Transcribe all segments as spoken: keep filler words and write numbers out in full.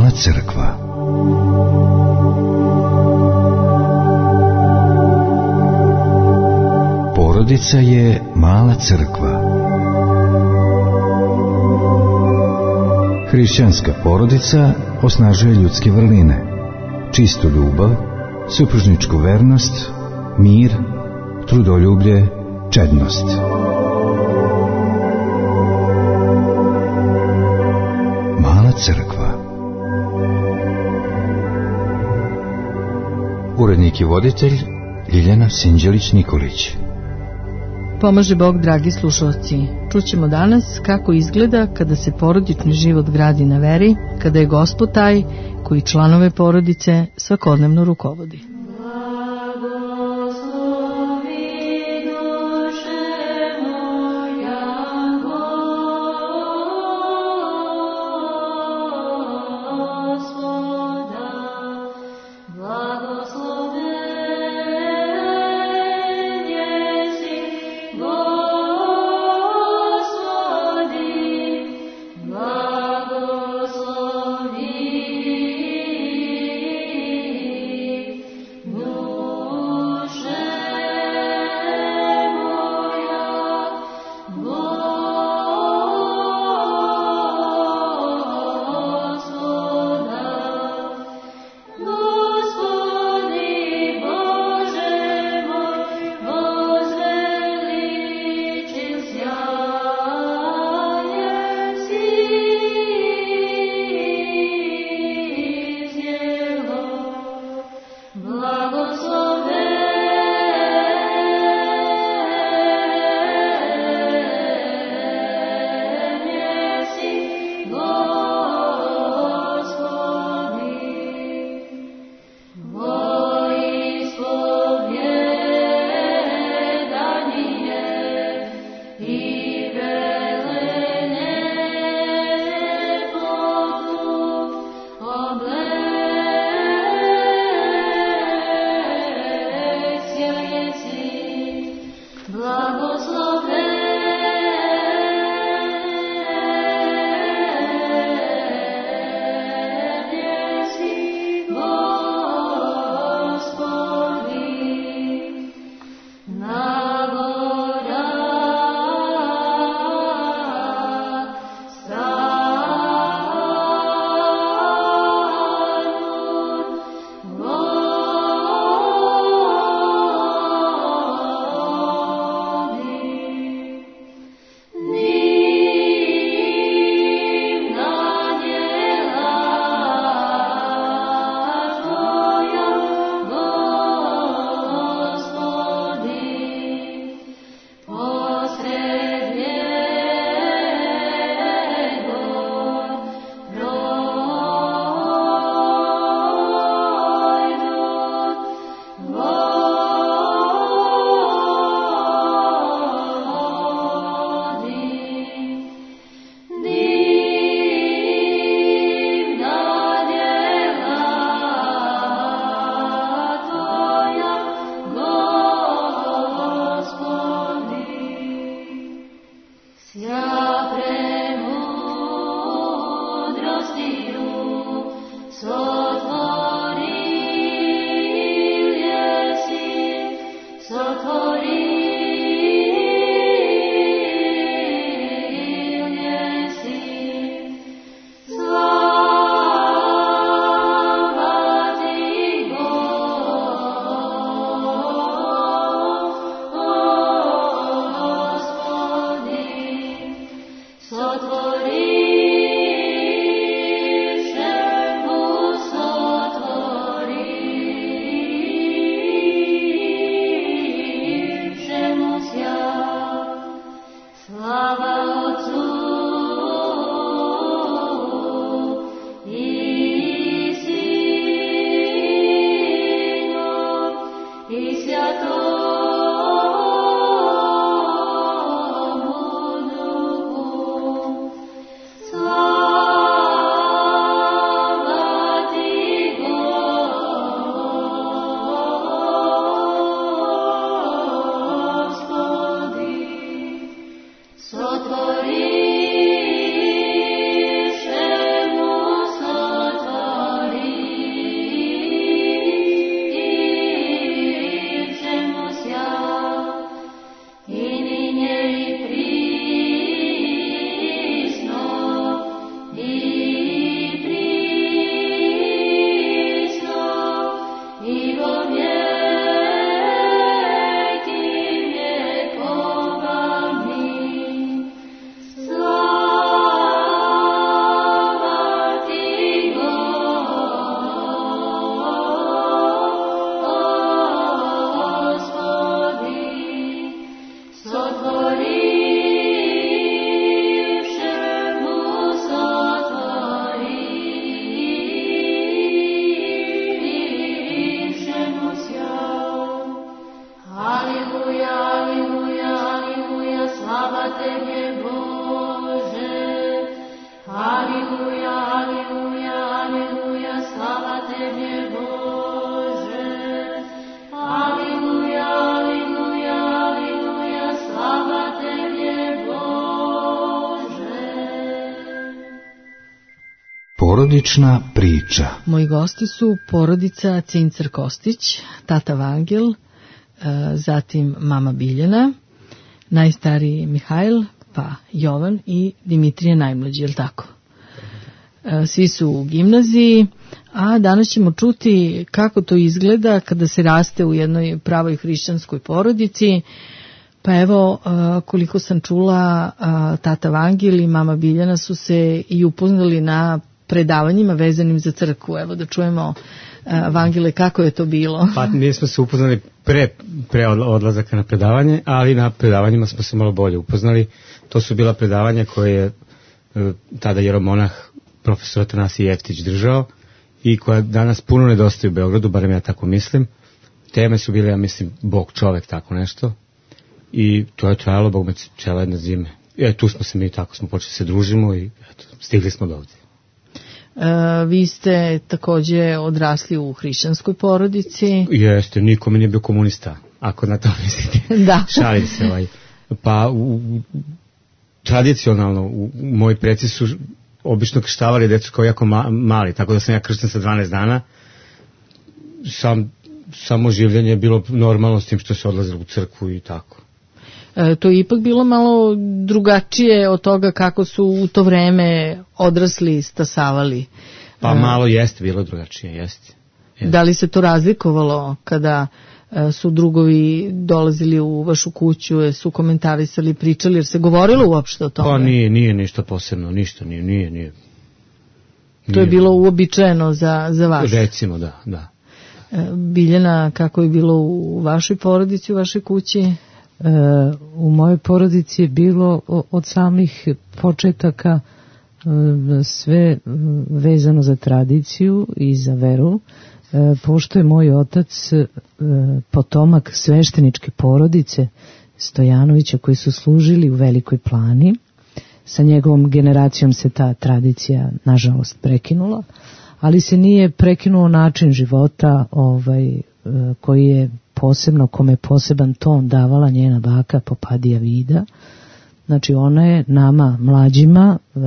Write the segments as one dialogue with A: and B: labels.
A: Mala crkva. Porodica je mala crkva. Hrišćanska porodica osnažuje ljudske vrline, čistu ljubav, supružničku vernost, mir, trudoljublje, čednost. Mala crkva. Urednik i voditelj Ljiljana Sinđelić-Nikolić.
B: Pomaže Bog, dragi slušalci. Čućemo danas kako izgleda kada se porodični život gradi na veri, kada je Gospod taj koji članove porodice svakodnevno rukovodi.
A: Porodična priča.
B: Moji gosti su porodica Cincer Kostić, tata Vangel, zatim mama Biljana, najstariji Mihajl, pa Jovan i Dimitrije najmlađi, je li tako? Svi su u gimnaziji, a danas ćemo čuti kako to izgleda kada se raste u jednoj pravoj hrišćanskoj porodici. Pa evo, koliko sam čula, tata Vangel i mama Biljana su se i upoznali na predavanjima vezanim za crkvu. Evo da čujemo, Vangele, kako je to bilo?
C: Pa mi smo se upoznali pre, pre odlazaka na predavanje, ali na predavanjima smo se malo bolje upoznali. To su bila predavanja koje je tada jeromonah profesor Atanasije Jeftić držao i koja danas puno nedostaje u Beogradu, barem ja tako mislim. Teme su bile, ja mislim, Bog, čovek, tako nešto. I to je trajalo, Bog me čela jedna zime. E, tu smo se mi, tako smo počeli se družimo i eto, stigli smo do ovdje.
B: E, vi ste takođe odrasli u hrišćanskoj porodici.
C: Jeste, niko mi nije bio komunista, ako na to mislite.
B: Da.
C: Šalim se, ovaj. Pa, u, u, tradicionalno, u, u, moji preci su obično krštavali decu kao jako ma, mali, tako da sam ja kršten sa dvanaest dana. Sam, samo življenje je bilo normalno s tim što se odlazilo u crkvu i tako.
B: E, to je ipak bilo malo drugačije od toga kako su u to vreme odrasli stasavali.
C: Pa malo jeste bilo drugačije, jeste. jeste.
B: Da li se to razlikovalo kada e, su drugovi dolazili u vašu kuću, su komentarisali, pričali, jer se govorilo uopšte o tome?
C: Pa nije, nije ništa posebno, ništa nije, nije, nije.
B: To je bilo uobičajeno za, za vas?
C: Recimo, da, da.
B: E, Biljana, kako je bilo u vašoj porodici, u vašoj kući?
D: E, u mojoj porodici je bilo od samih početaka e, sve vezano za tradiciju i za veru. E, pošto je moj otac e, potomak svešteničke porodice Stojanovića koji su služili u Velikoj Plani, sa njegovom generacijom se ta tradicija nažalost prekinula, ali se nije prekinuo način života ovaj, e, koji je posebno, kome je poseban ton davala njena baka Popadija Vida. Znači ona je nama mlađima e,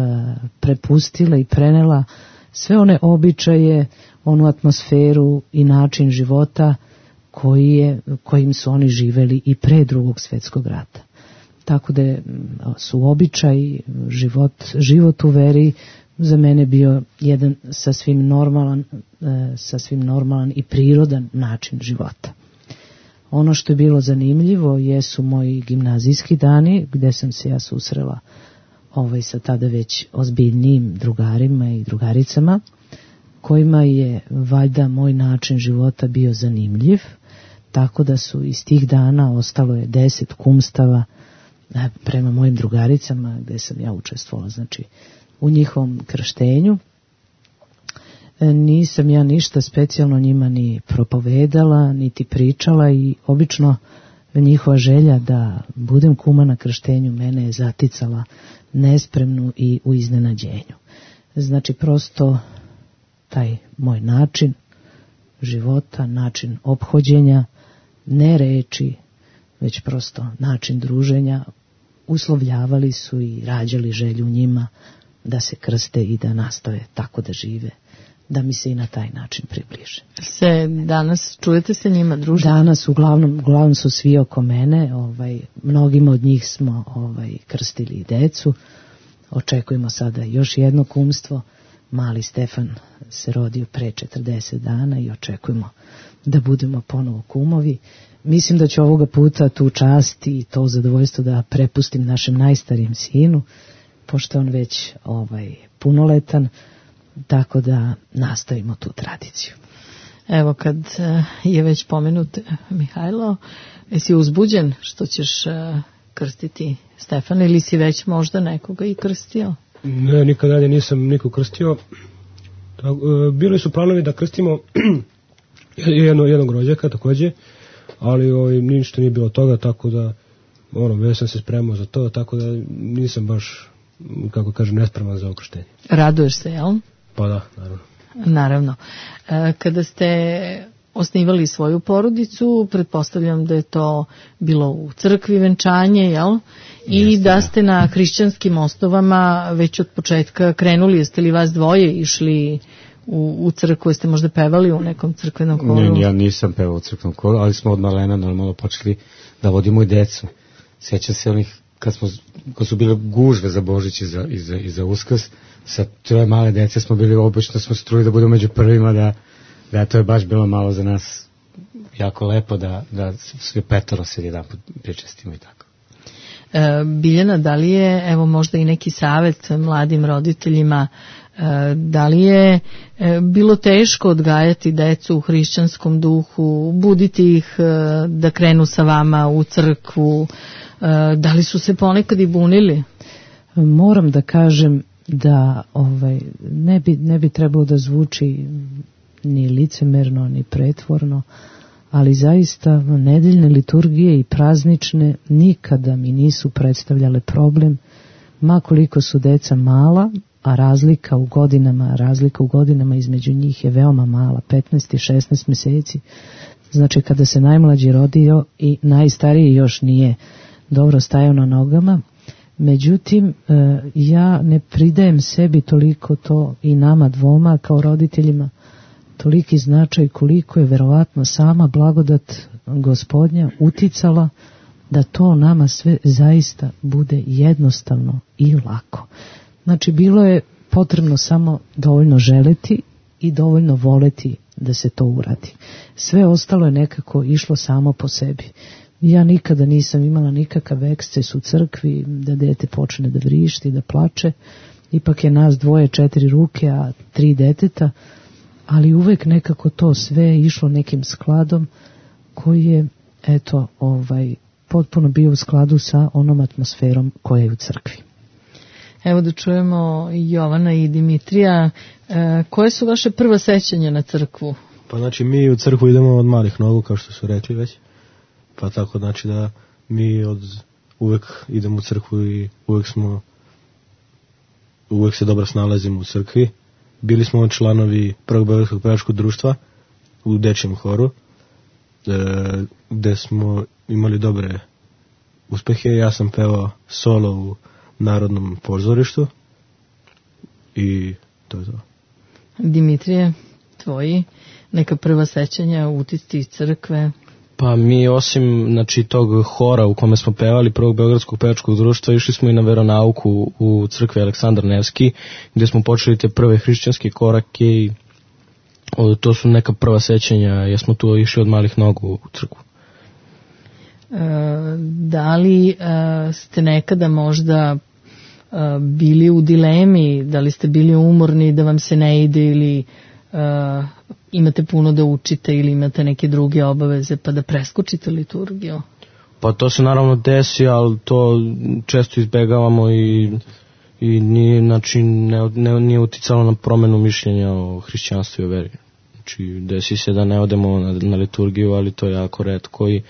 D: prepustila i prenela sve one običaje, onu atmosferu i način života koji je, kojim su oni živeli i pre Drugog svjetskog rata. Tako da su običaj, život, život u veri za mene bio jedan sasvim normalan, e, sasvim normalan i prirodan način života. Ono što je bilo zanimljivo jesu moji gimnazijski dani gdje sam se ja susrela ovaj, sa tada već ozbiljnijim drugarima i drugaricama kojima je valjda moj način života bio zanimljiv, tako da su iz tih dana ostalo je deset kumstava prema mojim drugaricama gdje sam ja učestvovala, znači u njihovom krštenju. Nisam ja ništa specijalno njima ni propovedala, niti pričala i obično njihova želja da budem kuma na krštenju mene je zaticala nespremnu i u iznenađenju. Znači prosto taj moj način života, način ophođenja, ne reči, već prosto način druženja, uslovljavali su i rađali želju njima da se krste i da nastave tako da žive, da mi se i na taj način približe.
B: Se danas čujete se njima, družite?
D: Danas uglavnom, uglavnom su svi oko mene, ovaj, mnogima od njih smo ovaj, krstili i decu, očekujemo sada još jedno kumstvo, mali Stefan se rodio pre četrdeset dana i očekujemo da budemo ponovo kumovi. Mislim da ću ovoga puta tu čast i to zadovoljstvo da prepustim našem najstarijem sinu, pošto on već ovaj, punoletan, tako da nastavimo tu tradiciju.
B: Evo kad je već pomenut Mihajlo, jesi uzbuđen što ćeš krstiti Stefana ili si već možda nekoga i krstio?
E: Ne, nikad dalje nisam nikog krstio. Bili su planovi da krstimo jedno, jednog rođaka takođe, ali ovaj, ništa nije bilo toga, tako da ono, već sam se spremao za to, tako da nisam baš, kako kažem, nespreman za okrštenje.
B: Raduješ se, jel?
E: Pa da, naravno.
B: Naravno. Kada ste osnivali svoju porodicu, pretpostavljam da je to bilo u crkvi venčanje, jel? I Jeste, da ste na hrišćanskim osnovama već od početka krenuli, jeste li vas dvoje išli u, u crkvu, jeste možda pevali u nekom crkvenom koru?
C: Ne, ja nisam pevao u crkvenom koru, ali smo od malena normalno počeli da vodimo i decu. Sjećam se onih, kad, smo, kad su bile gužve za Božić i za, i za, i za Uskrs, sa troje male dece smo bili obično, smo se trudili da budemo među prvima, da, da to je baš bilo malo za nas jako lepo, da, da svi petoro se jedan put pričestimo i tako.
B: E, Biljana, da li je, evo možda i neki savjet mladim roditeljima, e, da li je e, bilo teško odgajati decu u hrišćanskom duhu, buditi ih e, da krenu sa vama u crkvu, e, da li su se ponekad i bunili?
D: Moram da kažem da ovaj, ne, bi, ne bi trebalo da zvuči ni licemerno, ni pretvorno, ali zaista nedeljne liturgije i praznične nikada mi nisu predstavljale problem, ma koliko su deca mala, a razlika u godinama, razlika u godinama između njih je veoma mala, petnaest i šesnaest meseci. Znači kada se najmlađi rodio i najstariji još nije dobro stajao na nogama. Međutim, ja ne pridajem sebi toliko to i nama dvoma kao roditeljima, toliki značaj koliko je verovatno sama blagodat Gospodnja uticala da to nama sve zaista bude jednostavno i lako. Znači, bilo je potrebno samo dovoljno želeti i dovoljno voleti da se to uradi. Sve ostalo je nekako išlo samo po sebi. Ja nikada nisam imala nikakav eksces u crkvi da dete počne da vrišti, da plače. Ipak je nas dvoje, četiri ruke, a tri deteta, ali uvek nekako to sve išlo nekim skladom koji je, eto, ovaj, potpuno bio u skladu sa onom atmosferom koja je u crkvi.
B: Evo da čujemo Jovana i Dimitrija. E, koje su vaše prva sećanja na crkvu?
F: Pa znači mi u crkvu idemo od malih nogu, kao što su rekli već. Pa tako znači da mi od uvek idemo u crkvu i uvek smo uvek se dobro snalazimo u crkvi. Bili smo članovi Prvog beogradskog pevačkog društva u dečijem horu, e, gde smo imali dobre uspehe. Ja sam pevao solo u Narodnom pozorištu i to je to.
B: Dimitrije, tvoji neka prva sećanja, utisci iz crkve?
G: Pa mi osim znači, tog hora u kome smo pevali Prvog beogradskog pevačkog društva, išli smo i na veronauku u crkvi Aleksandar Nevski, gde smo počeli te prve hrišćanske korake i o, to su neka prva sećanja, jer smo tu išli od malih nogu u crkvu.
B: E, da li e, ste nekada možda e, bili u dilemi, da li ste bili umorni da vam se ne ide ili Uh, imate puno da učite ili imate neke druge obaveze pa da preskočite liturgiju?
G: Pa to se naravno desi, ali to često izbegavamo i, i nije, znači, ne, ne, nije uticalo na promenu mišljenja o hrišćanstvu i o veri. Znači desi se da ne odemo na, na liturgiju, ali to je jako retko i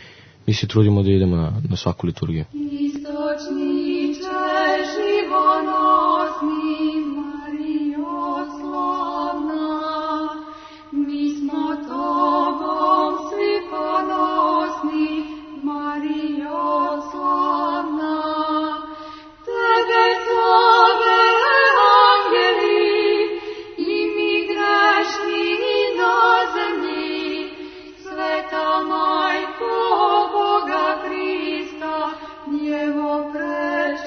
G: mi se trudimo da idemo na, na svaku liturgiju.
H: Istočniče živonosni Marijo slavna, mi smo tobom svi ponosni, Marijo slavna. Tebe slave angeli i mi grešni na zemlji, sveta majko Boga Krista, Djevo preč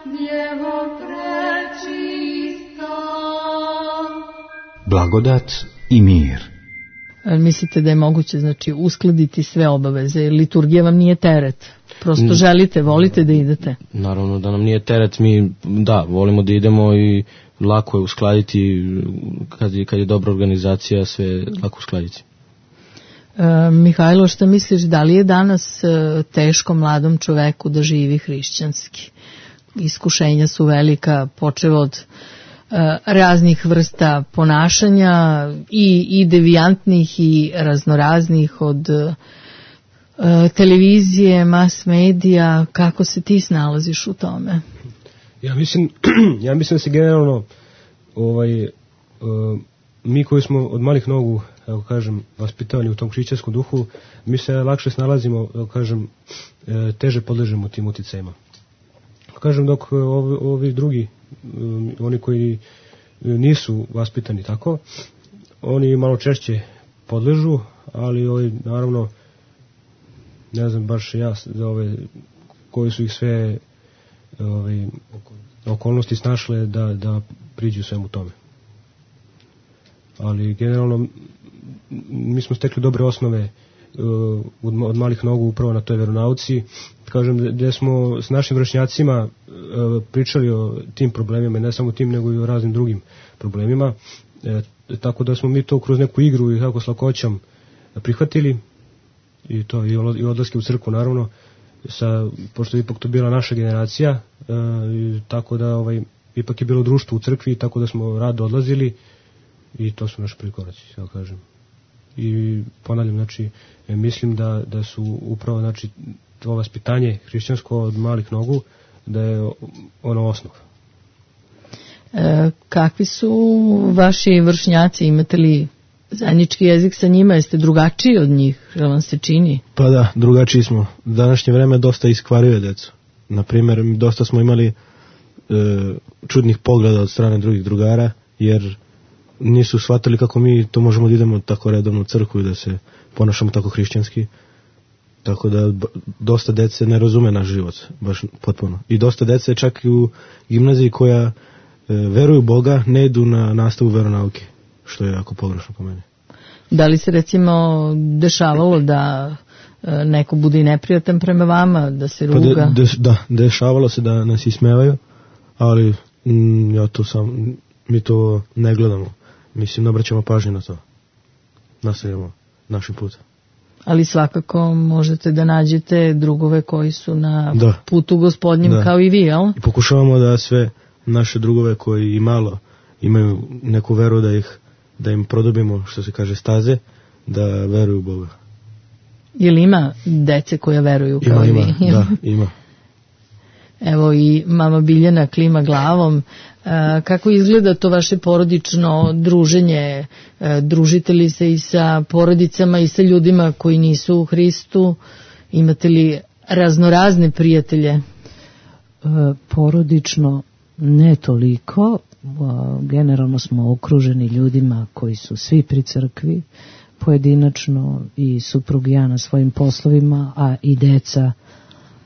H: Djevo prečista.
A: Blagodat i mir.
B: Mislite da je moguće, znači, uskladiti sve obaveze? Liturgija vam nije teret? Prosto želite, volite da idete?
G: Naravno da nam nije teret, mi da, volimo da idemo i lako je uskladiti, kad je, kad je dobra organizacija, sve lako uskladiti.
B: E, Mihajlo, šta misliš, da li je danas e, teško mladom čoveku da živi hrišćanski? Iskušenja su velika, počev od e, raznih vrsta ponašanja i, i devijantnih i raznoraznih, od e, televizije, mas medija. Kako se ti snalaziš u tome?
E: Ja mislim, ja mislim da se generalno ovaj, uh, mi koji smo od malih nogu, kako kažem, vaspitavani u tom hrišćanskom duhu, mi se lakše snalazimo, kako kažem, teže podležemo tim uticajima. Kažem, dok ovi, ovi drugi, um, oni koji nisu vaspitani tako, oni malo češće podležu, ali ovaj, naravno, ne znam baš ja za ove koji su ih sve ovaj, okolnosti snašle da, da priđu svemu tome. Ali generalno mi smo stekli dobre osnove uh, od, od malih nogu upravo na toj veronauci. Kažem, gde smo s našim vršnjacima uh, pričali o tim problemima, ne samo tim nego i o raznim drugim problemima. E, tako da smo mi to kroz neku igru i kako s lakoćom prihvatili i to i odlaske u crkvu naravno, sa, pošto je ipak to bila naša generacija, e, tako da ovaj, ipak je bilo društvo u crkvi, tako da smo rado odlazili i to su naši prvi koraci, ja kažem. I ponavljam, znači, e, mislim da, da su upravo, znači, to vaspitanje hrišćansko od malih nogu, da je ono osnov.
B: E, kakvi su vaši vršnjaci, imate li zajednički jezik sa njima, jeste drugačiji od njih, što vam se čini?
F: Pa da, drugačiji smo. U današnje vreme dosta iskvaruje decu. Naprimjer, dosta smo imali e, čudnih pogleda od strane drugih drugara, jer nisu shvatili kako mi to možemo da idemo tako redovno u crkvu i da se ponašamo tako hrišćanski. Tako da dosta dece ne razume naš život, baš potpuno. I dosta dece čak i u gimnaziji koja e, veruju Boga, ne idu na nastavu veronauke, što je jako pogrešno po meni.
B: Da li se recimo dešavalo da e, neko bude i neprijatan prema vama, da se ruga?
F: Pa de, de, da, dešavalo se da nas ismevaju, ali mm, ja to sam, mi to ne gledamo. Mislim, ne obraćamo pažnju na to. Nastavljamo našim putem.
B: Ali svakako možete da nađete drugove koji su na
F: da.
B: putu gospodnjem da. Kao i vi, jel?
F: I pokušavamo da sve naše drugove koji i malo imaju neku veru da ih da im produbimo, što se kaže, staze, da veruju u Boga.
B: Je li ima dece koja veruju kao
F: ima,
B: i vi?
F: Ima, da, ima.
B: Evo i mama Biljana klima glavom. E, kako izgleda to vaše porodično druženje? E, družite li se i sa porodicama i sa ljudima koji nisu u Hristu? Imate li raznorazne prijatelje?
D: E, porodično ne toliko. Generalno smo okruženi ljudima koji su svi pri crkvi, pojedinačno i suprug i ja na svojim poslovima, a i deca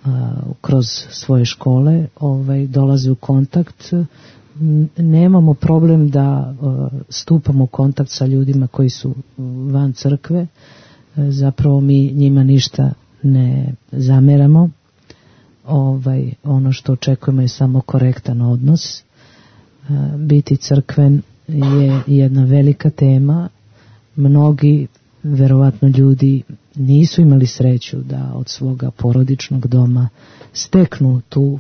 D: a, kroz svoje škole ovaj, dolaze u kontakt. Nemamo problem da a, stupamo u kontakt sa ljudima koji su van crkve. E, zapravo mi njima ništa ne zameramo. Ovaj, ono što očekujemo je samo korektan odnos. Biti crkven je jedna velika tema. Mnogi, verovatno ljudi, nisu imali sreću da od svoga porodičnog doma steknu tu,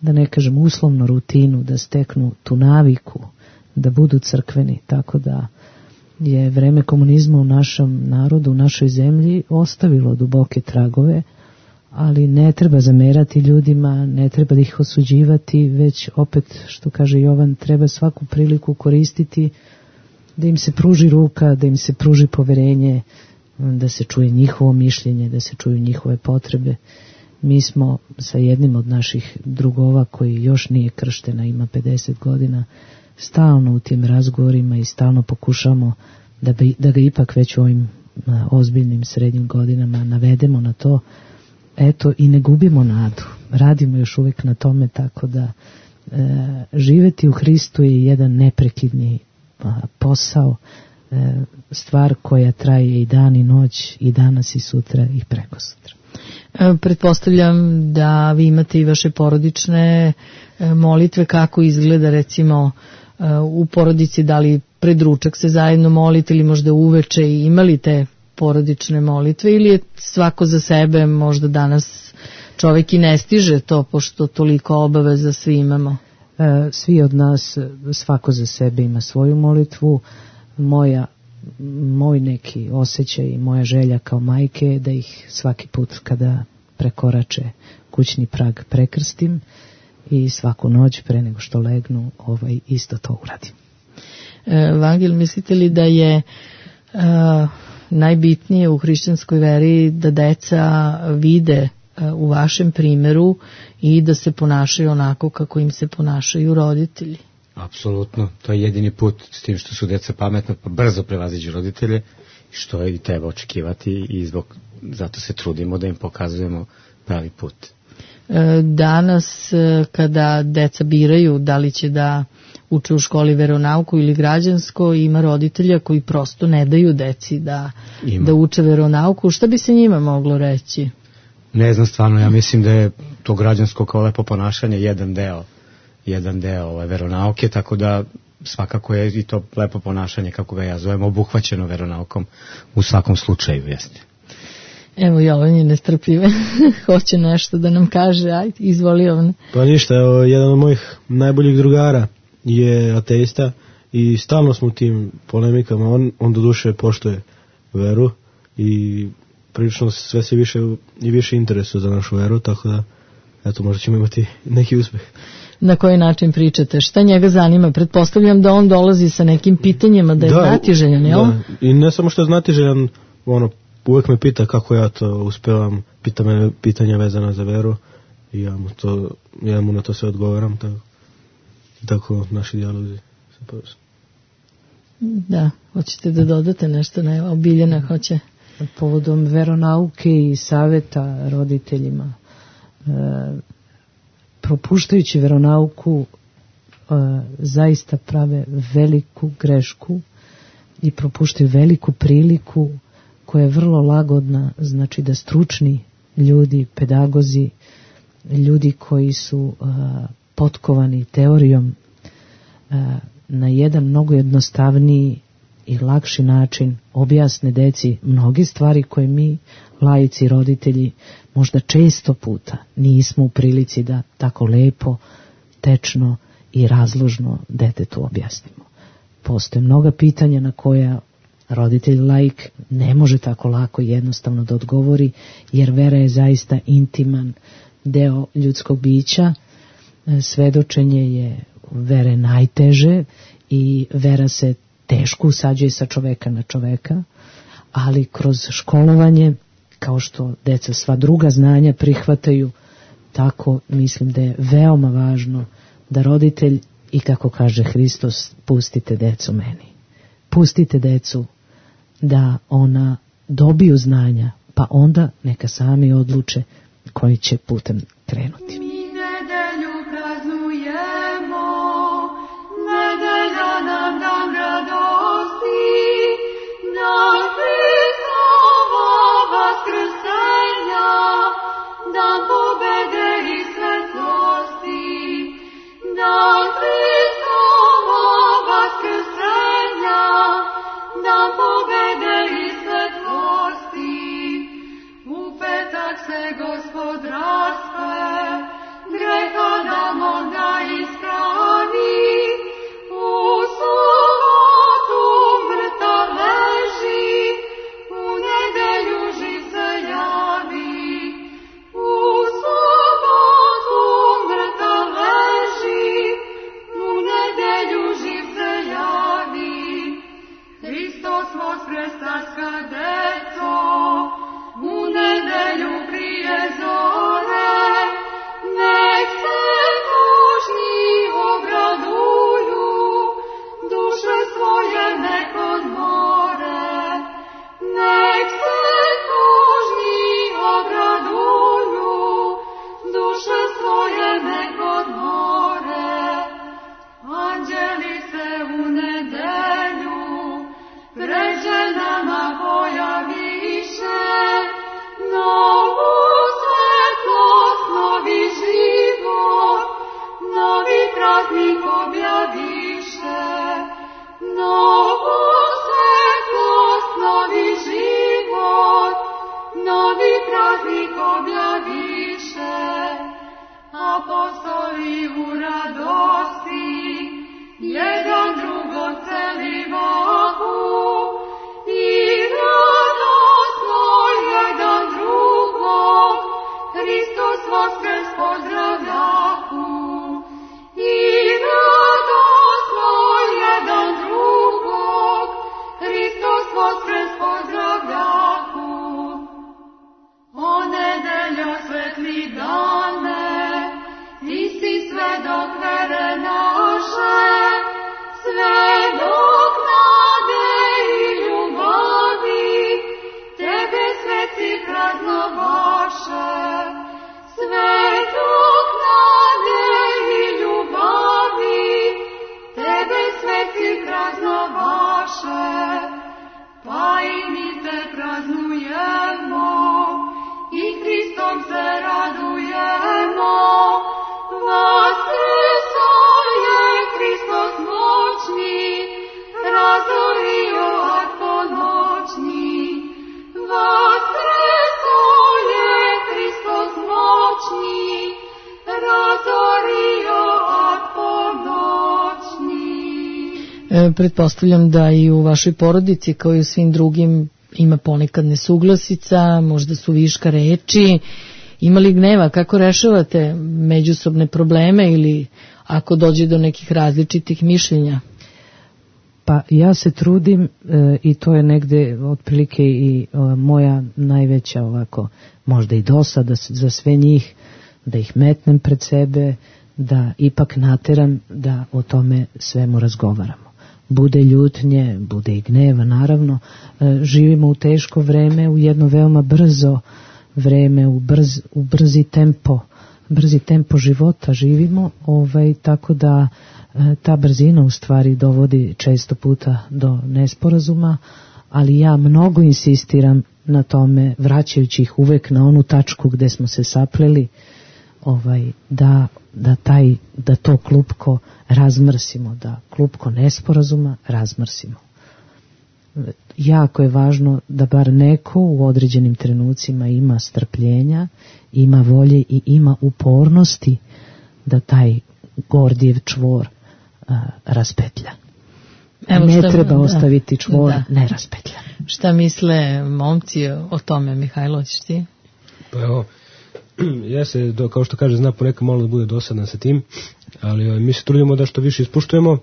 D: da ne kažem uslovno, rutinu, da steknu tu naviku, da budu crkveni. Tako da je vreme komunizma u našem narodu, u našoj zemlji ostavilo duboke tragove, ali ne treba zamerati ljudima, ne treba da ih osuđivati, već opet, što kaže Jovan, treba svaku priliku koristiti da im se pruži ruka, da im se pruži poverenje, da se čuje njihovo mišljenje, da se čuju njihove potrebe. Mi smo sa jednim od naših drugova koji još nije krštena, ima pedeset godina, stalno u tim razgovorima i stalno pokušamo da, bi, da ga ipak već u ovim ozbiljnim srednjim godinama navedemo na to eto i ne gubimo nadu. Radimo još uvijek na tome, tako da e, živeti u Hristu je jedan neprekidni a, posao, e, stvar koja traje i dan i noć, i danas i sutra i preko sutra.
B: E, pretpostavljam da vi imate i vaše porodične e, molitve, kako izgleda recimo e, u porodici, da li pred ručak se zajedno molite ili možda uveče i imali te porodične molitve, ili je svako za sebe, možda danas čovjek i ne stiže to pošto toliko obaveza svi imamo?
D: E, svi od nas, svako za sebe ima svoju molitvu. Moja, moj neki osjećaj i moja želja kao majke je da ih svaki put kada prekorače kućni prag prekrstim i svaku noć pre nego što legnu ovaj, isto to uradim.
B: E, Vangel, mislite li da je e, najbitnije u hrišćanskoj veri da deca vide u vašem primjeru i da se ponašaju onako kako im se ponašaju roditelji?
C: Apsolutno, to je jedini put, s tim što su deca pametna pa brzo prevaziđu roditelje, što je i treba očekivati, i zbog, zato se trudimo da im pokazujemo pravi put.
B: Danas kada deca biraju da li će da uče u školi veronauku ili građansko, ima roditelja koji prosto ne daju deci da, da uče veronauku. Šta bi se njima moglo reći?
C: Ne znam, stvarno, ja mislim da je to građansko kao lepo ponašanje jedan deo, jedan deo ove veronauke, tako da svakako je i to lepo ponašanje, kako ga ja zovem, obuhvaćeno veronaukom u svakom slučaju, jeste.
B: Evo, Jovan je nestrpljive, hoće nešto da nam kaže, ajde, izvoli Jovan.
F: Pa ništa, evo, jedan od mojih najboljih drugara je ateista i stalno smo u tim polemikama, on, on do duše poštuje veru i prilično sve se više i više interesuje za našu veru, tako da eto, možda ćemo imati neki uspeh.
B: Na koji način pričate? Šta njega zanima? Pretpostavljam da on dolazi sa nekim pitanjima, da je da, znatiželjan, jel?
F: Da, i ne samo što je znatiželjan, ono, uvek me pita kako ja to uspevam, pita me pitanja vezana za veru i ja mu, to, ja mu na to sve odgovaram, tako, tako naši dijalozi se povesu.
B: Da, hoćete da dodate nešto? Ne, Biljana hoće.
D: Povodom veronauke i saveta roditeljima, e, propuštajući veronauku e, zaista prave veliku grešku i propuštaju veliku priliku koja je vrlo lagodna, znači da stručni ljudi, pedagozi, ljudi koji su e, potkovani teorijom e, na jedan mnogo jednostavniji i lakši način objasne deci mnoge stvari koje mi, laici, roditelji, možda često puta nismo u prilici da tako lepo, tečno i razložno detetu objasnimo. Postoje mnoga pitanja na koja roditelj laik ne može tako lako i jednostavno da odgovori, jer vera je zaista intiman deo ljudskog bića. Svedočenje je vere najteže i vera se teško usađuje sa čoveka na čoveka, ali kroz školovanje, kao što deca sva druga znanja prihvataju, tako mislim da je veoma važno da roditelj, i kako kaže Hristos, pustite decu meni. Pustite decu da ona dobiju znanja, pa onda neka sami odluče koji će putem krenuti.
H: Mi nedelju praznujemo, nedelja nam nam radosti, dan Hristova vaskrsenja, dan pobede i svetlosti, dan Hristova vaskrsenja, dan pobede i svetlosti. U petak se Gospod raspe, radosti, jedan drugom celivahu i radosno jedan drugog Hristos voskres pozdravljahu i radosno jedan drugog Hristos voskres pozdravljahu. O nedeljo svetli dane, ti si svedok vere naše, svedok nade i ljubavi, tebe sveci praznovaše. Svedok nade i ljubavi, tebe sveci praznovaše, pa i mi te praznujemo, i Hristom se radujemo. Vaskrso je Hristos moćni, razorio ad ponoćni. Vaskrso je Hristos moćni, razorio ad ponoćni.
B: E, pretpostavljam da i u vašoj porodici, kao i u svim drugim, ima ponekad nesuglasica, možda su viška reči. Ima li gneva? Kako rešavate međusobne probleme ili ako dođe do nekih različitih mišljenja?
D: Pa ja se trudim e, i to je negde otprilike i e, moja najveća ovako, možda i dosada za sve njih, da ih metnem pred sebe, da ipak nateram da o tome svemu razgovaramo. Bude ljutnje, bude i gneva, naravno. E, živimo u teško vreme, u jedno veoma brzo vreme, u, brz, u brzi tempo, brzi tempo života živimo, ovaj, tako da e, ta brzina u stvari dovodi često puta do nesporazuma, ali ja mnogo insistiram na tome, vraćajući ih uvek na onu tačku gde smo se sapleli, ovaj, da, da, taj, da to klupko razmrsimo, da klupko nesporazuma razmrsimo. Jako je važno da bar neko u određenim trenucima ima strpljenja, ima volje i ima upornosti da taj Gordijev čvor a, raspetlja. Evo ne šta, treba ostaviti čvor da. Neraspetljan.
B: Šta misle momci o tome, Mihajlo, ćeš ti?
E: Pa evo, ja se, do, kao što kaže, zna ponekad malo da bude dosadan sa tim, ali mi se trudimo da što više ispuštujemo,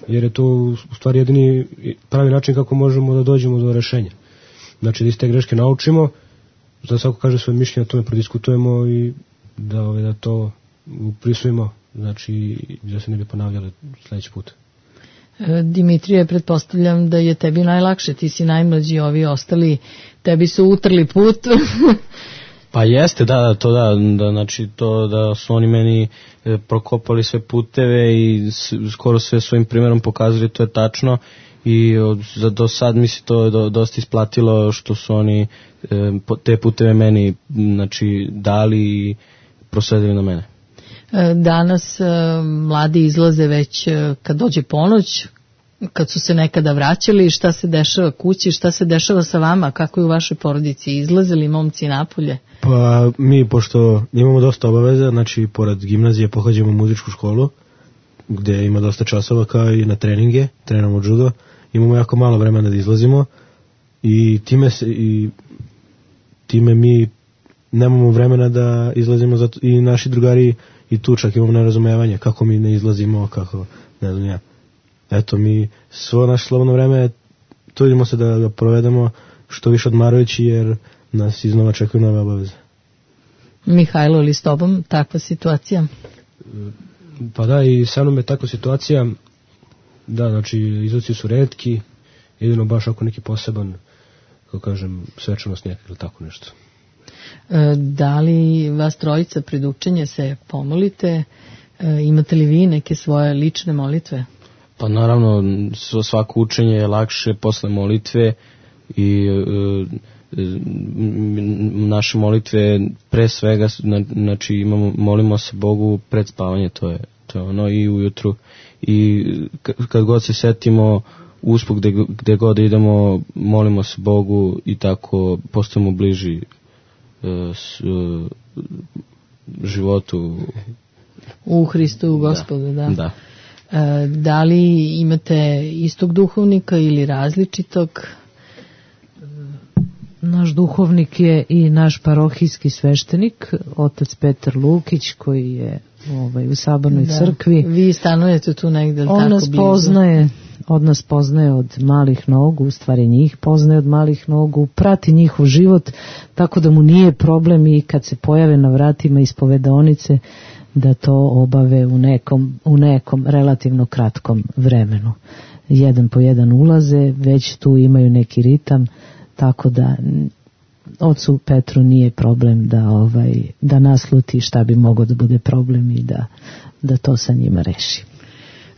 E: jer je to u stvari jedini pravi način kako možemo da dođemo do rešenja. Znači da iz te greške naučimo, da svako kaže svoje mišljenje, o tome prodiskutujemo i da, ove, da to uprisujemo, znači da se ne bi ponavljali sledeći put.
B: Dimitrije, pretpostavljam da je tebi najlakše, ti si najmlađi, ovi ostali tebi su utrli put.
G: Pa jeste, da, to da, da, znači to da su oni meni e, prokopali sve puteve i s, skoro sve svojim primjerom pokazali, to je tačno i od, za do sad mi se to do, dosta isplatilo što su oni e, te puteve meni, znači, dali i prosledili na mene.
B: Danas mladi izlaze već kad dođe ponoć, kad su se nekada vraćali, šta se dešava kući, šta se dešava sa vama, kako je u vašoj porodici, izlazili momci napolje?
F: Pa mi, pošto imamo dosta obaveza, znači pored gimnazije pohađamo muzičku školu, gde ima dosta časova kao i na treninge, trenamo judo, imamo jako malo vremena da izlazimo i time, se, i time mi nemamo vremena da izlazimo, zato i naši drugari i tu čak imamo nerazumevanje kako mi ne izlazimo, kako, ne znam ja. Eto, mi svo naše slobodno vreme trudimo se da ga provedemo što više odmarajući, jer nas iznova čekaju nove obaveze.
B: Mihajlo, ili s tobom takva situacija?
E: Pa da, i sa mnom je takva situacija, da, znači izlaci su retki, jedino baš ako neki poseban, kako kažem, svečanost neka ili tako nešto.
B: Da li vas trojica pred učenje se pomolite? Imate li vi neke svoje lične molitve?
G: Pa naravno, svako učenje je lakše posle molitve i e, naše molitve pre svega, znači imamo, molimo se Bogu pred spavanje, to je, to je ono, i ujutru. I kad god se setimo usput gde, gde god idemo, molimo se Bogu i tako postajemo bliži s, životu.
B: U Hristu, u Gospodu, da.
G: Da.
B: E, da li imate istog duhovnika ili različitog?
D: Naš duhovnik je i naš parohijski sveštenik, otac Petar Lukić, koji je ovaj, u Sabornoj
B: Da.
D: crkvi.
B: Vi stanujete tu negde,
D: On
B: tako
D: nas
B: blizu?
D: poznaje, od nas poznaje od malih nogu, u stvari njih poznaje od malih nogu, prati njihov život, tako da mu nije problem i kad se pojave na vratima ispovedonice da to obave u nekom, u nekom relativno kratkom vremenu. Jedan po jedan ulaze, već tu imaju neki ritam, tako da ocu Petru nije problem da ovaj da nasluti šta bi mogao da bude problem i da, da to sa njima reši.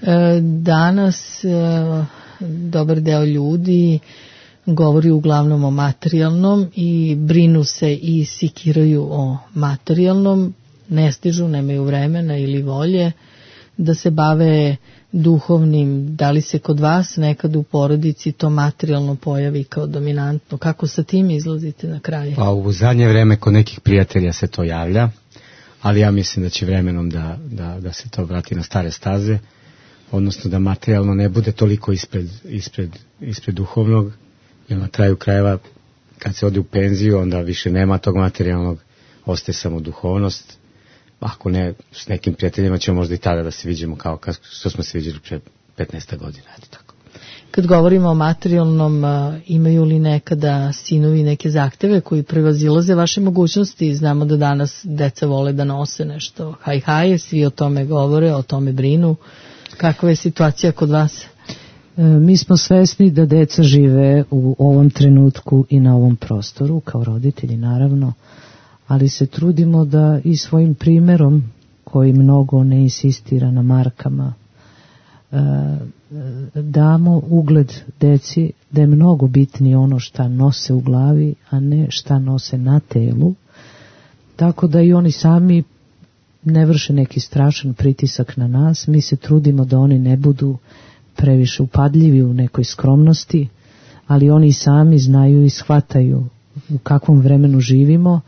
B: E, danas e, dobar deo ljudi govori uglavnom o materijalnom i brinu se i sikiraju o materijalnom, ne stižu, nemaju vremena ili volje da se bave duhovnim. Da li se kod vas nekad u porodici to materijalno pojavi kao dominantno? Kako sa tim izlazite na kraj?
C: Pa u zadnje vreme kod nekih prijatelja se to javlja, ali ja mislim da će vremenom da, da, da se to vrati na stare staze, odnosno da materijalno ne bude toliko ispred, ispred, ispred duhovnog, jer na kraju krajeva kad se ode u penziju onda više nema tog materijalnog, ostaje samo duhovnost. Ako ne, s nekim prijateljima ćemo možda i tada da se vidimo kao što smo se vidjeli pre petnaest godina. Eto tako.
B: Kad govorimo o materijalnom, imaju li nekada sinovi neke zahteve koji prevazilaze vaše mogućnosti? Znamo da danas deca vole da nose nešto haj-haje, svi o tome govore, o tome brinu. Kakva je situacija kod vas?
D: E, mi smo svesni da deca žive u ovom trenutku i na ovom prostoru, kao roditelji naravno, ali se trudimo da i svojim primjerom, koji mnogo ne insistira na markama, damo ugled deci da je mnogo bitnije ono šta nose u glavi, a ne šta nose na telu, tako da i oni sami ne vrše neki strašan pritisak na nas. Mi se trudimo da oni ne budu previše upadljivi u nekoj skromnosti, ali oni sami znaju i shvataju u kakvom vremenu živimo,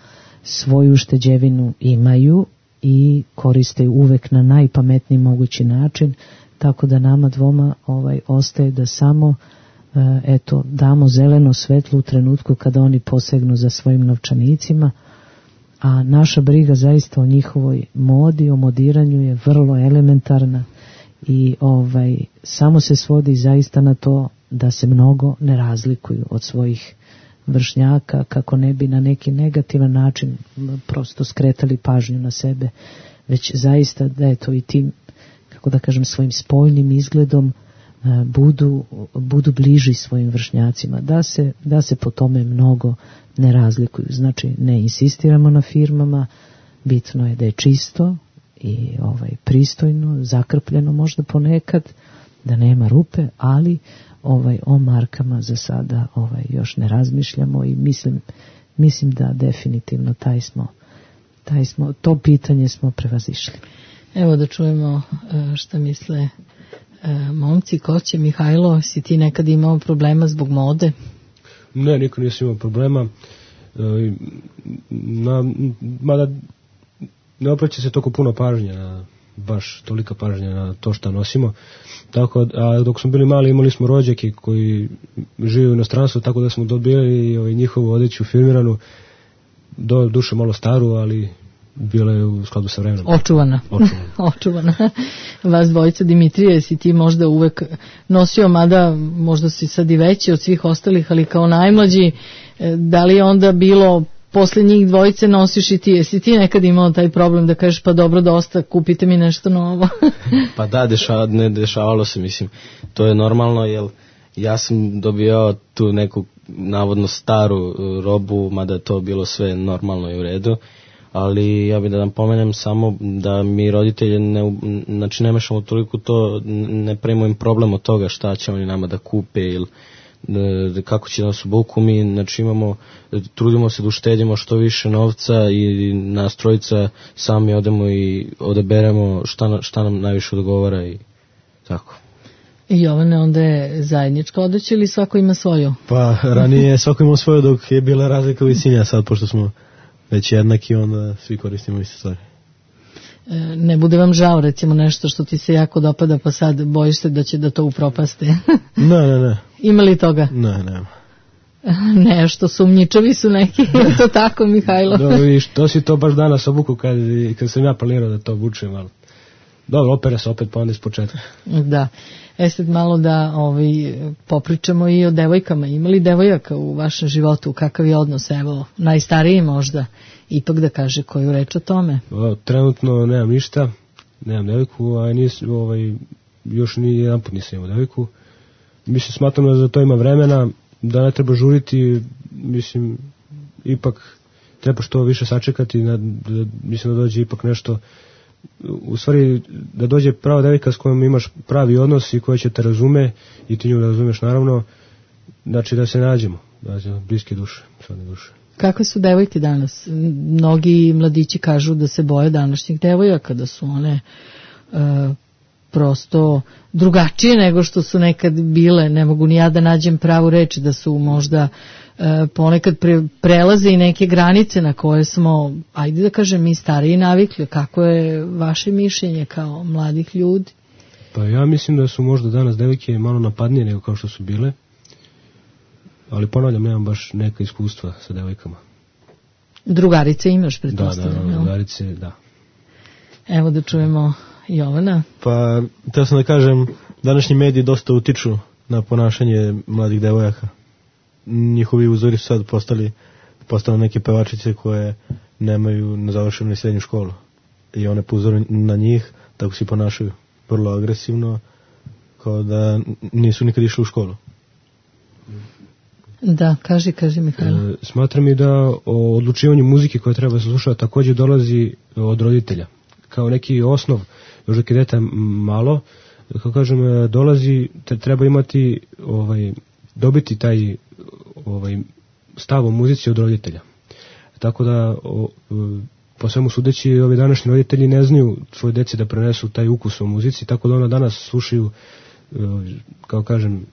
D: svoju ušteđevinu imaju i koriste uvek na najpametniji mogući način, tako da nama dvoma ovaj ostaje da samo e, eto damo zeleno svetlo u trenutku kada oni posegnu za svojim novčanicima, a naša briga zaista o njihovoj modi, o modiranju je vrlo elementarna i ovaj samo se svodi zaista na to da se mnogo ne razlikuju od svojih vršnjaka, kako ne bi na neki negativan način prosto skretali pažnju na sebe, već zaista da je to i tim, kako da kažem, svojim spoljnim izgledom budu, budu bliži svojim vršnjacima, da se, da se po tome mnogo ne razlikuju. Znači ne insistiramo na firmama, bitno je da je čisto i ovaj pristojno, zakrpljeno možda ponekad, da nema rupe, ali ovaj o markama za sada ovaj još ne razmišljamo i mislim mislim da definitivno taj smo taj smo to pitanje smo prevazišli.
B: Evo da čujemo šta misle momci. Koće, Mihajlo, si ti nekad imao problema zbog mode?
E: Ne, niko nisam imao problema. Na, mada ne opraća se toliko puno pažnje na, baš tolika pažnja na to što nosimo. Tako, a dok smo bili mali imali smo rođake koji žive u inostranstvu, tako da smo dobili ovaj, njihovu odeću firmiranu, do duše malo staru, ali bila je u skladu sa vremenom.
B: Očuvana.
E: Očuvana.
B: Očuvana. Vas dvojica, Dimitrije, si ti možda uvek nosio, mada možda si sad i veći od svih ostalih, ali kao najmlađi, da li je onda bilo posle njih dvojice nosiš i ti, jesi ti nekad imao taj problem da kažeš pa dobro dosta, kupite mi nešto novo?
G: Pa da, dešava, ne dešavalo se, mislim, to je normalno, jer ja sam dobio tu neku navodno staru robu, mada je to bilo sve normalno i u redu, ali ja bih da nam pomenem samo da mi roditelji ne, znači ne mešamo toliko to, ne pravimo im problem od toga šta će oni nama da kupe ili kako će nas obuku. Mi znači imamo, trudimo se da uštedimo što više novca i nas trojica sami odemo i odaberemo šta, šta nam najviše odgovara i tako.
B: I Jovane, onda je zajednička odeća ili svako ima svoju?
F: Pa ranije svako imao svoju dok je bila razlika visine, a sad pošto smo već jednaki onda svi koristimo iste stvari.
B: ne bude vam žao recimo nešto što ti se jako dopada pa sad bojiš se da će da to upropaste.
F: Ne, ne, ne.
B: Ima li toga?
F: Ne, nema.
B: Ne, što sumnjičavi su neki, to tako Mihajlo.
E: Dobro, vidiš, to si to baš danas obuku kad, kad sam ja planirao da to obučem, ali dobro, opere se opet pa onda iz početka.
B: Da, e sad malo da ovaj, popričamo i o devojkama. Ima li devojaka u vašem životu, kakav je odnos, evo, najstariji možda, ipak da kaže koju reč o tome?
E: O, trenutno nemam ništa, nemam devojku, a nis, ovaj, još ni jedan put nisam imao devojku. Mislim, smatram da za to ima vremena, da ne treba žuriti, mislim, ipak treba što više sačekati, da, da, mislim da dođe ipak nešto, u stvari da dođe prava devojka s kojom imaš pravi odnos i koja će te razume i ti nju da razumeš naravno, znači da se nađemo, da se bliske duše, svodne duše.
B: Kakve su devojke danas? Mnogi mladići kažu da se boje današnjih devojaka, da su one e, prosto drugačije nego što su nekad bile, ne mogu ni ja da nađem pravu reč, da su možda e, ponekad pre, prelaze i neke granice na koje smo, ajde da kažem, mi stariji navikli. Kako je vaše mišljenje kao mladih ljudi?
E: Pa ja mislim da su možda danas devojke malo napadnije nego kao što su bile, ali ponavljam, nemam baš neka iskustva sa devojkama.
B: Drugarice imaš,
E: Da,
B: pretpostavljam.
E: da,
B: jel?
E: drugarice, da.
B: Evo da čujemo Jovana.
F: Pa, teo sam da kažem, današnji mediji dosta utiču na ponašanje mladih devojaka. Njihovi uzori su sad postali, postale neke pevačice koje nemaju nezavršenu ni srednju školu. I one po uzoru na njih, tako se ponašaju. Vrlo agresivno, kao da nisu nikad išli u školu.
B: Da, kaži, kaži Mihajlo.
E: E, smatram i da o odlučivanju muzike koja treba se slušati također dolazi od roditelja. Kao neki osnov, još dok je dete malo, kako kažem, dolazi, treba imati, ovaj, dobiti taj ovaj, stav o muzici od roditelja. Tako da, o, po svemu sudeći, ovi današnji roditelji ne znaju svoje deci da prenesu taj ukus o muzici, tako da ona danas slušaju, kao kažem,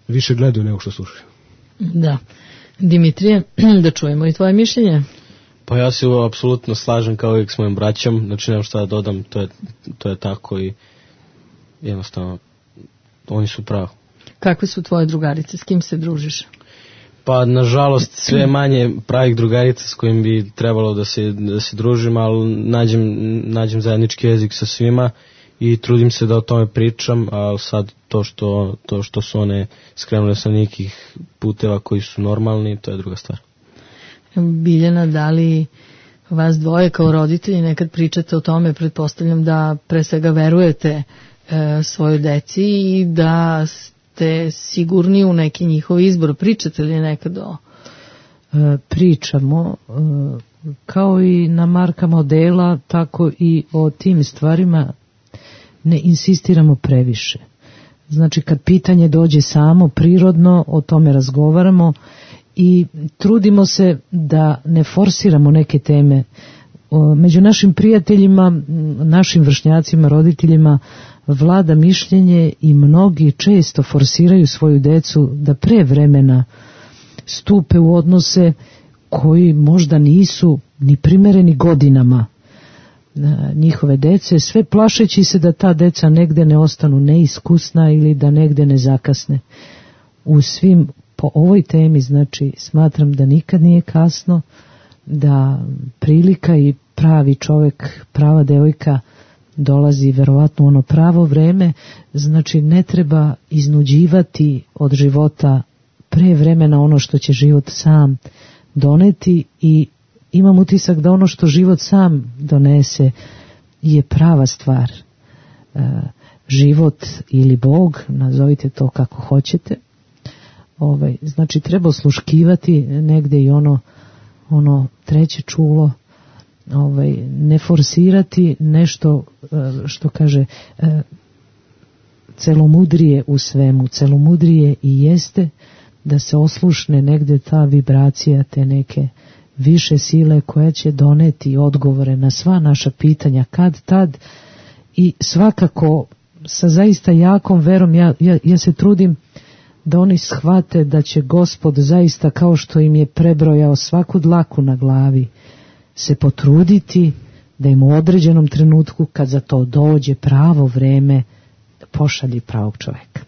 E: više gledaju nego što slušaju.
B: Da. Dimitrije, da čujemo i tvoje mišljenje.
G: Pa ja se apsolutno slažem kao uvijek s mojim braćom, znači nemam šta da dodam, to je, to je tako i jednostavno oni su pravi.
B: Kakve su tvoje drugarice, s kim se družiš?
G: Pa nažalost sve manje pravih drugarica s kojim bi trebalo da se, da se družim, ali nađem, nađem zajednički jezik sa svima i trudim se da o tome pričam, a sad to što, to što su one skrenule sa nekih puteva koji su normalni, to je druga stvar.
B: Biljana, da li vas dvoje kao roditelji nekad pričate o tome, pretpostavljam da pre svega verujete e, svojoj deci i da ste sigurni u neki njihov izbor. Pričate li nekad o...
D: E, pričamo, e, kao i na markama dela, tako i o tim stvarima ne insistiramo previše. Znači kad pitanje dođe samo, prirodno, o tome razgovaramo i trudimo se da ne forsiramo neke teme. Među našim prijateljima, našim vršnjacima, roditeljima vlada mišljenje i mnogi često forsiraju svoju decu da pre vremena stupe u odnose koji možda nisu ni primereni godinama njihove dece, sve plašeći se da ta deca negde ne ostanu neiskusna ili da negde ne zakasne. U svim, po ovoj temi, znači, smatram da nikad nije kasno, da prilika i pravi čovjek, prava devojka dolazi verovatno u ono pravo vreme, znači ne treba iznuđivati od života pre vremena ono što će život sam doneti i imam utisak da ono što život sam donese je prava stvar. E, život ili Bog, nazovite to kako hoćete. Ovaj, znači treba osluškivati negde i ono, ono treće čulo, ovaj, ne forsirati nešto što kaže e, celomudrije u svemu. Celomudrije i jeste da se oslušne negde ta vibracija te neke više sile koja će doneti odgovore na sva naša pitanja kad tad i svakako sa zaista jakom verom ja, ja, ja se trudim da oni shvate da će Gospod zaista kao što im je prebrojao svaku dlaku na glavi se potruditi da im u određenom trenutku, kad za to dođe pravo vreme, pošalji pravog čoveka.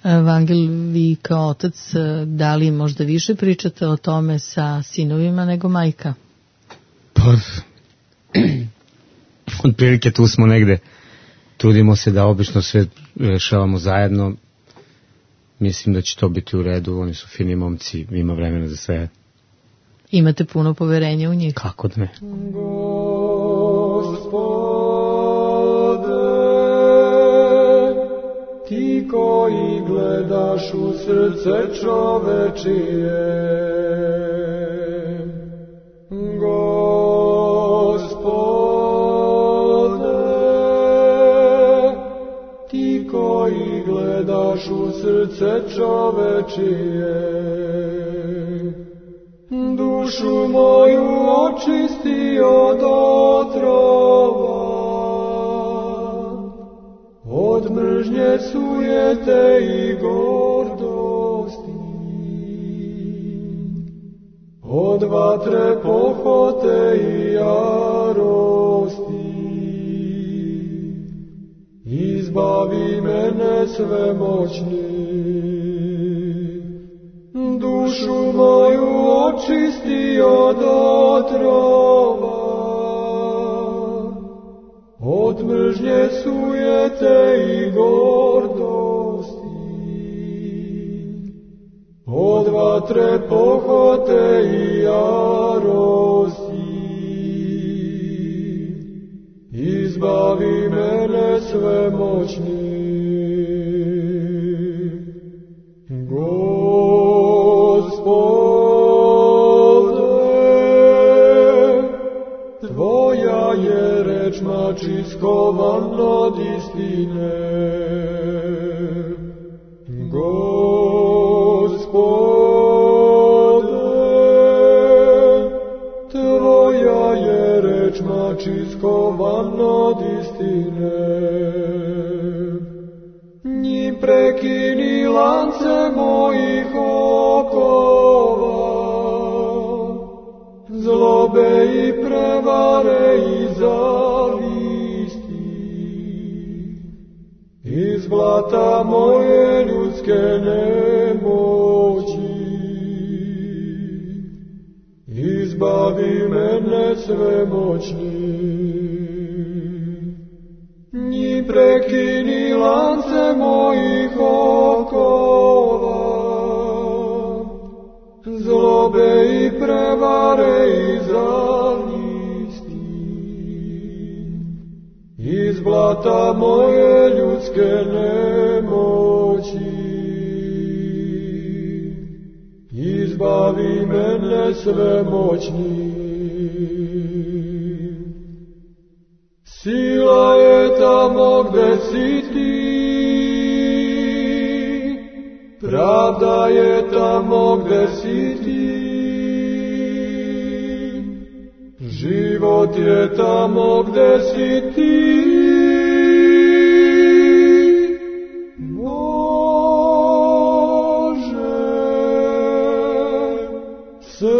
B: Vangel, vi kao otac, da li možda više pričate o tome sa sinovima nego majka?
C: Pa, od prilike tu smo negde. Trudimo se da obično sve rešavamo zajedno. Mislim da će to biti u redu. Oni su fini momci, ima vremena za sve.
B: Imate puno poverenja u njih?
C: Kako da ne?
I: Ti koji gledaš u srce čovečije, Gospode, ti koji gledaš u srce čovečije, dušu moju očisti od otrova, od mržnje, sujete i gordosti, od vatre, pohote i jarosti. Izbavi mene svemoćni, dušu moju očisti od otrova, od mržnje, sujete i gordosti, od vatre, pohote i jarosti. Izbavi mene svemoćni, Tvoja je reč mač iskovan od istine. Gospode, Tvoja je reč mač iskovan od istine. Njim prekini lance mojih okova, zlobe i prevare i zavisti, iz blata moje ljudske nemoći. Izbavi mene svemoćni, njim prekini lance mojih okova, zlobe i prevare i zavisti, iz blata moje ljudske nemoći. Izbavi mene svemoćni, sila je tamo gde si ti, pravda je tamo gde si ti, život je tamo gde si ti. Bože, sve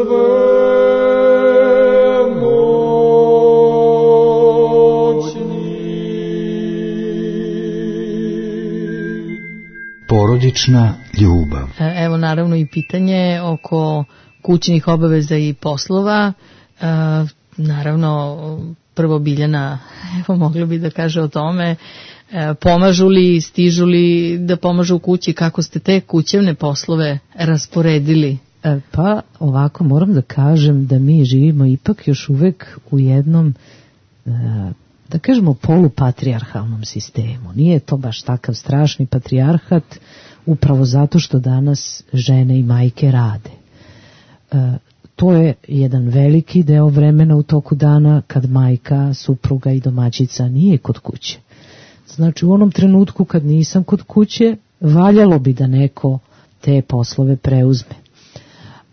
A: Porodična ljubav.
B: Evo naravno i pitanje oko kućnih obaveza i poslova. E, naravno, prvo Biljana, evo mogli bi da kaže o tome, e, pomažu li, stižu li da pomažu u kući, kako ste te kućevne poslove rasporedili?
D: E, pa ovako moram da kažem da mi živimo ipak još uvek u jednom e, da kažemo polupatrijarhalnom sistemu. Nije to baš takav strašni patrijarhat, upravo zato što danas žene i majke rade. E, to je jedan veliki deo vremena u toku dana kad majka, supruga i domaćica nije kod kuće. Znači u onom trenutku kad nisam kod kuće, valjalo bi da neko te poslove preuzme.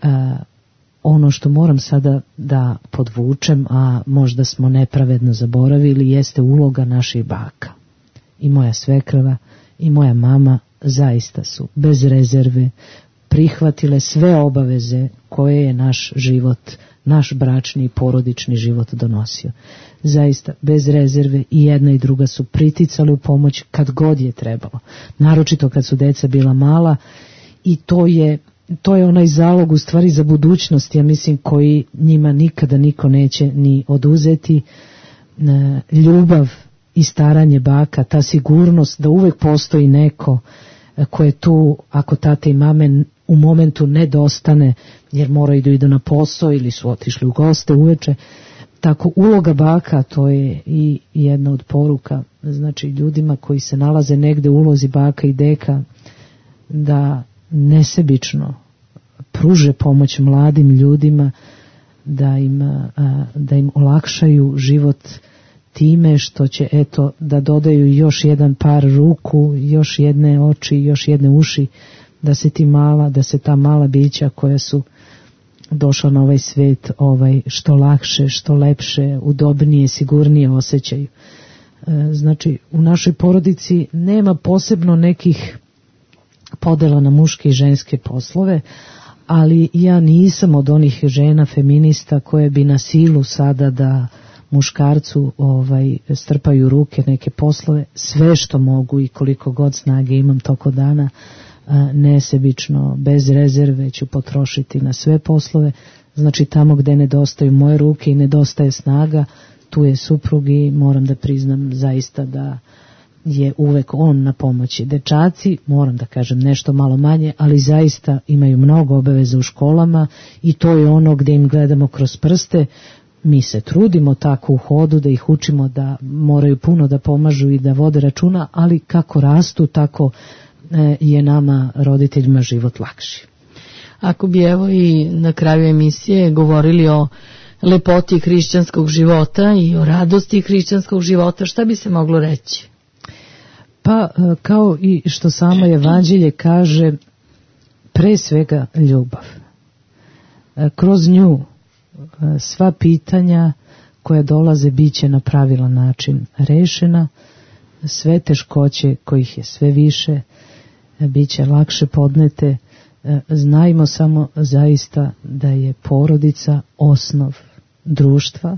D: E, ono što moram sada da podvučem, a možda smo nepravedno zaboravili, jeste uloga naših baka. I moja svekrva i moja mama zaista su bez rezerve prihvatile sve obaveze koje je naš život, naš bračni i porodični život donosio. Zaista, bez rezerve i jedna i druga su priticali u pomoć kad god je trebalo. Naročito kad su deca bila mala i to je, to je onaj zalog u stvari za budućnost, ja mislim, koji njima nikada niko neće ni oduzeti. Ljubav i staranje baka, ta sigurnost da uvek postoji neko ko je tu ako tate i mame u momentu nedostane jer moraju da idu na posao ili su otišli u goste uveče. Tako uloga baka, to je i jedna od poruka, znači ljudima koji se nalaze negde u ulozi baka i deka, da nesebično pruže pomoć mladim ljudima, da im, da im olakšaju život time što će eto da dodaju još jedan par ruku, još jedne oči, još jedne uši, da se ti mala, da se ta mala bića koja su došla na ovaj svet ovaj što lakše, što lepše, udobnije, sigurnije osjećaju. Znači u našoj porodici nema posebno nekih podela na muške i ženske poslove, ali ja nisam od onih žena feminista koje bi na silu sada da muškarcu ovaj strpaju ruke neke poslove. Sve što mogu i koliko god snage imam toko dana, nesebično, bez rezerve ću potrošiti na sve poslove. Znači tamo gde nedostaju moje ruke i nedostaje snaga, tu je suprug i moram da priznam zaista da je uvek on na pomoći. Dečaci, moram da kažem nešto malo manje, ali zaista imaju mnogo obaveza u školama i to je ono gde im gledamo kroz prste. Mi se trudimo tako u hodu da ih učimo da moraju puno da pomažu i da vode računa, ali kako rastu, tako je nama roditeljima život lakši.
B: Ako bi evo i na kraju emisije govorili o lepoti hrišćanskog života i o radosti hrišćanskog života, šta bi se moglo reći?
D: Pa kao i što samo evanđelje kaže, pre svega ljubav. Kroz nju sva pitanja koja dolaze biće na pravilan način rešena, sve teškoće kojih je sve više biće lakše podnete. Znajmo samo zaista da je porodica osnov društva.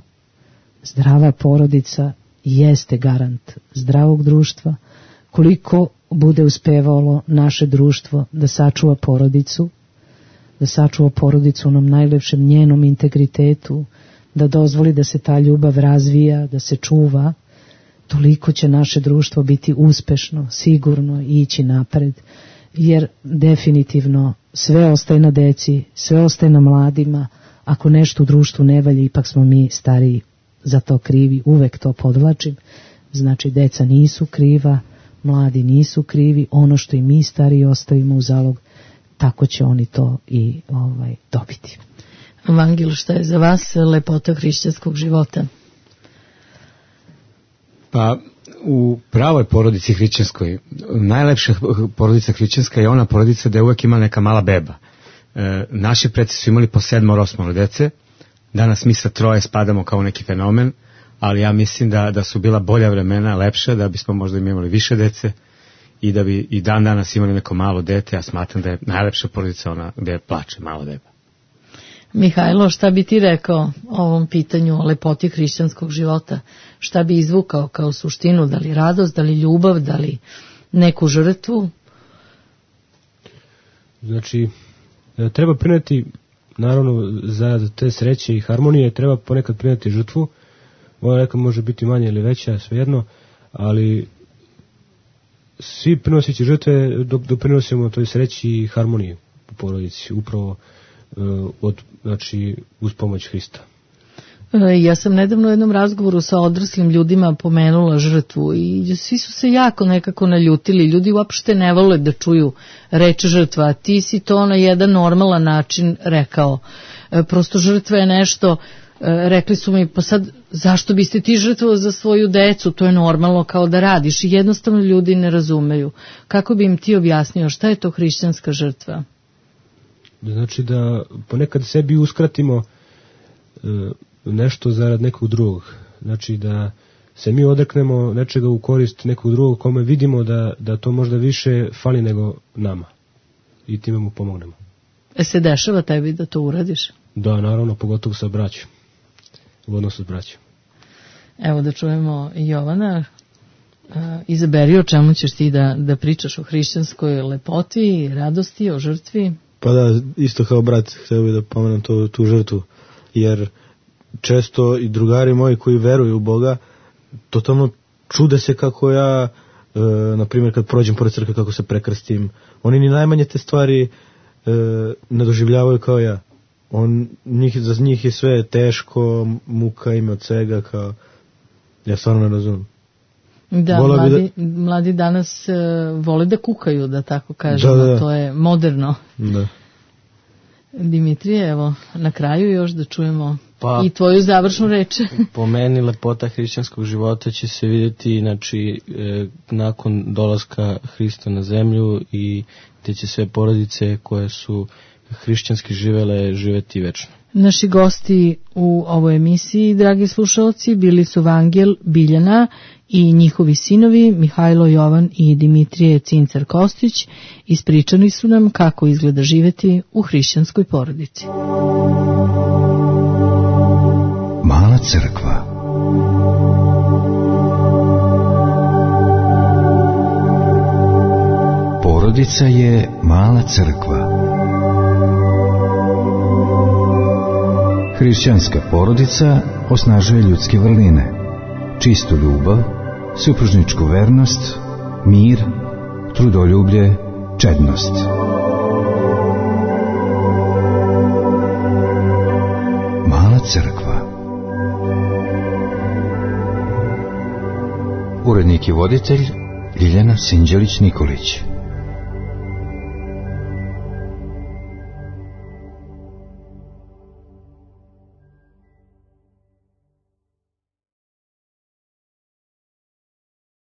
D: Zdrava porodica jeste garant zdravog društva. Koliko bude uspevalo naše društvo da sačuva porodicu, da sačuva porodicu u onom najlepšem njenom integritetu, da dozvoli da se ta ljubav razvija, da se čuva, toliko će naše društvo biti uspešno, sigurno i ići napred, jer definitivno sve ostaje na deci, sve ostaje na mladima. Ako nešto u društvu ne valja, ipak smo mi stariji za to krivi, uvek to podvlačim. Znači deca nisu kriva, mladi nisu krivi, ono što i mi stariji ostavimo u zalog, tako će oni to i ovaj, dobiti.
B: Vangil, šta je za vas lepota hrišćanskog života? Pa
C: u pravoj porodici hrišćanskoj, najlepša porodica hrišćanska je ona porodica gde uvek ima neka mala beba. E, naši preci su imali po sedmoro, osmoro dece, danas mi sa troje spadamo kao neki fenomen, ali ja mislim da, da su bila bolja vremena, lepša, da bismo možda imali više dece i da bi i dan danas imali neko malo dete. Ja smatram da je najlepša porodica ona gde plače malo beba.
B: Mihajlo, šta bi ti rekao o ovom pitanju o lepoti hrišćanskog života? Šta bi izvukao kao suštinu? Da li radost, da li ljubav, da li neku žrtvu?
E: Znači, treba prineti, naravno, za te sreće i harmonije, treba ponekad prineti žrtvu. Ona neka može biti manja ili veća, svejedno, ali svi prinosići žrtve dok doprinosimo toj sreći i harmoniji u porodici, upravo od, znači, uz pomoć Hrista.
B: Ja sam nedavno u jednom razgovoru sa odraslim ljudima pomenula žrtvu i svi su se jako nekako naljutili. Ljudi uopšte ne vole da čuju reč žrtva, a ti si to na jedan normalan način rekao. Prosto žrtva je nešto, rekli su mi, pa sad zašto biste ti žrtvovali za svoju decu, to je normalno kao da radiš, i jednostavno ljudi ne razumeju. Kako bi im ti objasnio šta je to hrišćanska žrtva?
E: Znači da ponekad sebi uskratimo e, nešto zarad nekog drugog. Znači da se mi odreknemo nečega u korist nekog drugog kome vidimo da, da to možda više fali nego nama. I time mu pomognemo.
B: Se dešava tebi da to uradiš?
E: Da, naravno, pogotovo sa braćom. U odnosu s braćom.
B: Evo da čujemo Jovana. Izaberi o čemu ćeš ti da, da pričaš, o hrišćanskoj lepoti, radosti, o žrtvi.
F: Pa da, isto kao brat, htio bih da pomenem to, tu žrtvu, jer često i drugari moji koji veruju u Boga, totalno čude se kako ja, e, na primjer kad prođem pored crkve, kako se prekrstim, oni ni najmanje te stvari e, ne doživljavaju kao ja. On, njih, za njih je sve teško, muka im od svega, kao, ja stvarno ne razumijem.
B: Da, mladi, da, mladi danas uh, vole da kukaju, da tako kažemo, da, da. To je moderno.
F: Da.
B: Dimitrije, evo, na kraju još da čujemo
G: pa,
B: i tvoju završnu reč.
G: Po meni lepota hrišćanskog života će se vidjeti, znači, e, nakon dolaska Hrista na zemlju i te će sve porodice koje su hrišćanski živele živeti večno.
B: Naši gosti u ovoj emisiji, dragi slušalci, bili su Vangel Biljana i njihovi sinovi Mihajlo Jovan i Dimitrije Cincar Kostić. Ispričani su nam kako izgleda živeti u hrišćanskoj porodici.
A: Mala crkva. Porodica je mala crkva. Hrišćanska porodica osnažuje ljudske vrline, čistu ljubav, supružničku vernost, mir, trudoljublje, čednost. Mala crkva. Urednik i voditelj Ljiljana Sinđelić-Nikolić.